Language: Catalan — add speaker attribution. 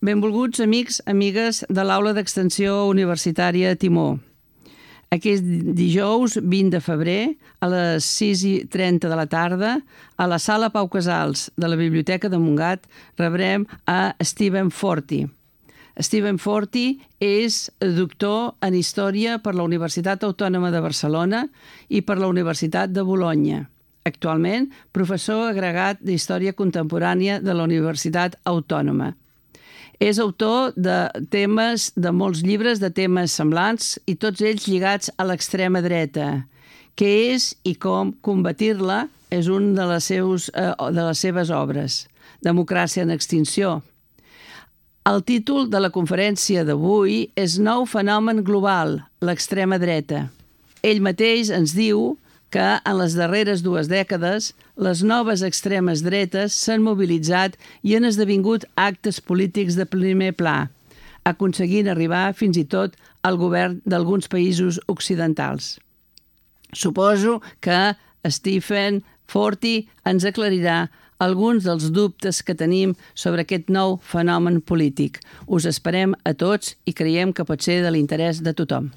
Speaker 1: Benvolguts amics, amigues de l'Aula d'Extensió Universitària Timó. Aquest dijous 20 de febrer, a les 6:30 de la tarda, a la Sala Pau Casals de la Biblioteca de Montgat, rebrem a Stephen Forti. Stephen Forti és doctor en Història per la Universitat Autònoma de Barcelona i per la Universitat de Bolonya. Actualment, professor agregat d'Història Contemporània de la Universitat Autònoma. És autor de molts llibres de temes semblants i tots ells lligats a l'extrema dreta. Què és i com combatir-la és una de les seves obres. Democràcia en extinció. El títol de la conferència d'avui és Nou fenomen global, l'extrema dreta. Ell mateix ens diu que en les darreres 2 dècades les noves extremes dretes s'han mobilitzat i han esdevingut actes polítics de primer pla, aconseguint arribar fins i tot al govern d'alguns països occidentals. Suposo que Stephen Forti ens aclarirà alguns dels dubtes que tenim sobre aquest nou fenomen polític. Us esperem a tots i creiem que pot ser de l'interès de tothom.